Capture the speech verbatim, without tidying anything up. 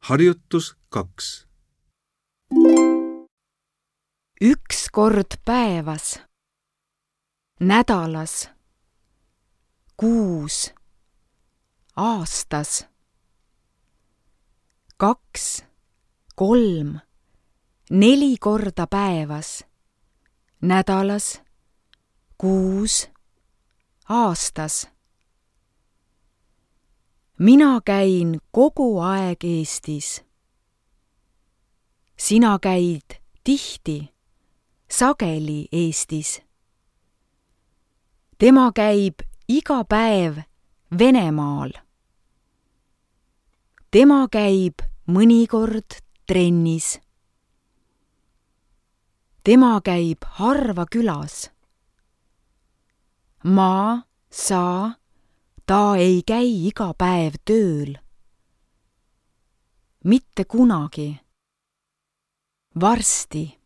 Harjutus kaks. Üks kord päevas, nädalas, kuus, aastas. Kaks, kolm, neli korda päevas, nädalas, kuus, aastas. Mina käin kogu aeg Eestis. Sina käid tihti, sageli Eestis. Tema käib iga päev Venemaal. Tema käib mõnikord trennis. Tema käib harva külas. Ma, sa, ta ei käi iga päev tööl. Mitte kunagi. Varsti.